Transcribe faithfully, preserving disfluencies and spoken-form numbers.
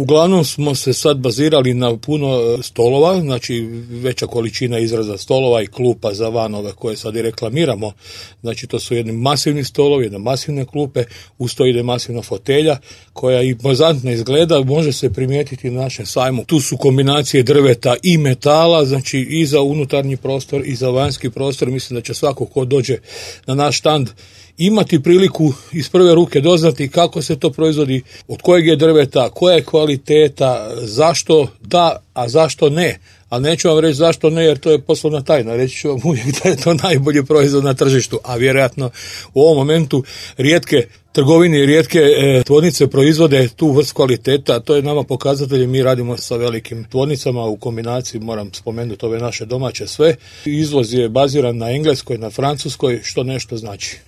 uglavnom smo se sad bazirali na puno stolova, znači veća količina izraza stolova i klupa za vanove koje sad i reklamiramo. Znači to su jedni masivni stolovi, jedne masivne klupe, uz to ide masivna fotelja koja impozantno izgleda, može se primijetiti na našem sajmu. Tu su kombinacije drveta i metala, znači i za unutarnji prostor i za vanjski prostor. Mislim da će svako ko dođe na naš štand imati priliku iz prve ruke doznati kako se to proizvodi, od kojeg je drveta, koja je kvaliteta, zašto da, a zašto ne. Ali neću vam reći zašto ne, jer to je poslovna tajna. Reći ću vam uvijek da je to najbolji proizvod na tržištu, a vjerojatno u ovom momentu rijetke trgovine i rijetke e, tvornice proizvode tu vrst kvaliteta. To je nama pokazatelj, mi radimo sa velikim tvornicama u kombinaciji, moram spomenuti ove naše domaće sve. Izvoz je baziran na Engleskoj, na Francuskoj, što nešto znači.